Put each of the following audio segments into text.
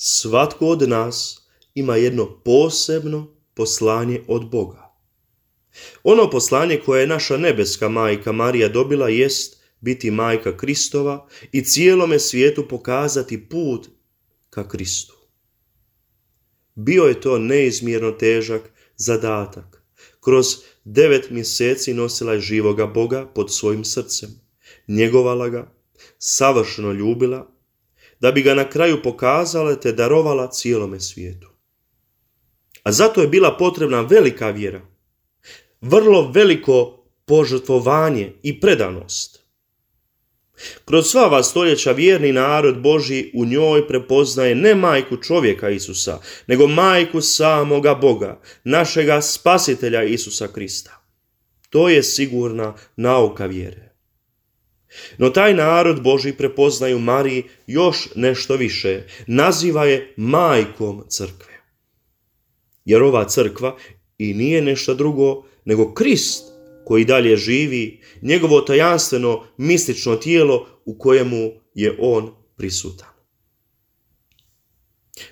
Svatko od nas ima jedno posebno poslanje od Boga. Ono poslanje koje je naša nebeska majka Marija dobila jest biti majka Kristova i cijelome svijetu pokazati put ka Kristu. Bio je to neizmjerno težak zadatak. Kroz 9 mjeseci nosila je živoga Boga pod svojim srcem, njegovala ga, savršeno ljubila, da bi ga na kraju pokazala te darovala cijelome svijetu. A zato je bila potrebna velika vjera, vrlo veliko požrtvovanje i predanost. Kroz sva ova stoljeća vjerni narod Božji u njoj prepoznaje ne majku čovjeka Isusa, nego majku samoga Boga, našega spasitelja Isusa Krista. To je sigurna nauka vjere. No taj narod Božji prepoznaju Mariji još nešto više, naziva je majkom crkve. Jer ova crkva i nije nešto drugo nego Krist koji dalje živi, njegovo tajanstveno mistično tijelo u kojemu je on prisutan.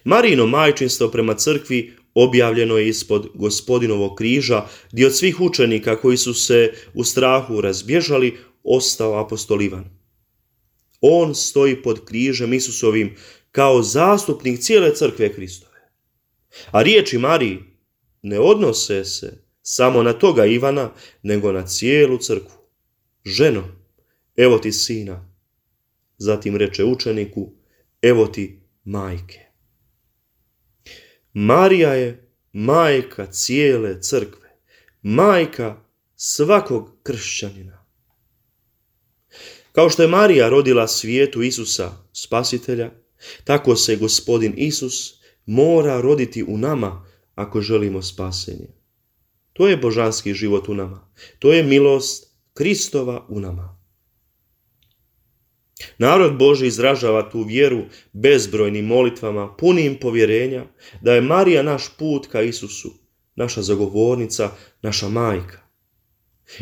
Marijino majčinstvo prema crkvi objavljeno je ispod Gospodinovog križa, gdje od svih učenika koji su se u strahu razbježali ostao apostol Ivan. On stoji pod križem Isusovim kao zastupnik cijele crkve Kristove. A riječi Mariji ne odnose se samo na toga Ivana, nego na cijelu crkvu. Ženo, evo ti sina. Zatim reče učeniku, evo ti majke. Marija je majka cijele crkve, majka svakog kršćanina. Kao što je Marija rodila svijetu Isusa, spasitelja, tako se Gospodin Isus mora roditi u nama ako želimo spasenje. To je božanski život u nama. To je milost Kristova u nama. Narod Božji izražava tu vjeru bezbrojnim molitvama, punim povjerenja da je Marija naš put ka Isusu, naša zagovornica, naša majka.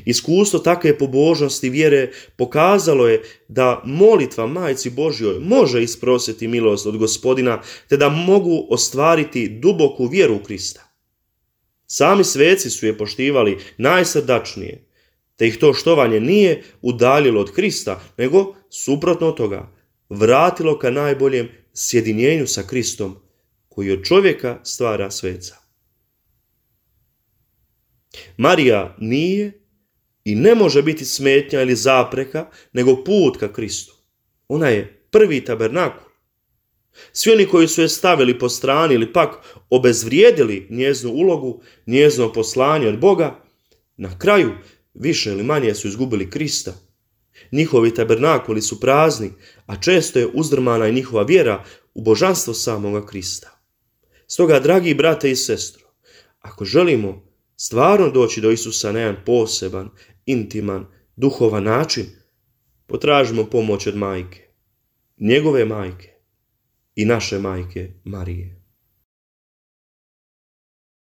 Iskustvo takve pobožnosti vjere pokazalo je da molitva Majci Božjoj može isprositi milost od Gospodina, te da mogu ostvariti duboku vjeru u Krista. Sami sveci su je poštivali najsrdačnije, te ih to štovanje nije udaljilo od Krista, nego suprotno od toga vratilo ka najboljem sjedinjenju sa Kristom, koji od čovjeka stvara sveca. Marija nije i ne može biti smetnja ili zapreka, nego put ka Kristu. Ona je prvi tabernakul. Svi oni koji su je stavili po strani ili pak obezvrijedili njezinu ulogu, njezino poslanje od Boga, na kraju više ili manje su izgubili Krista. Njihovi tabernakuli su prazni, a često je uzdrmana i njihova vjera u božanstvo samoga Krista. Stoga, dragi brate i sestro, ako želimo stvarno doći do Isusa na jedan poseban, intiman, duhovan način, potražimo pomoć od majke, njegove majke i naše majke Marije.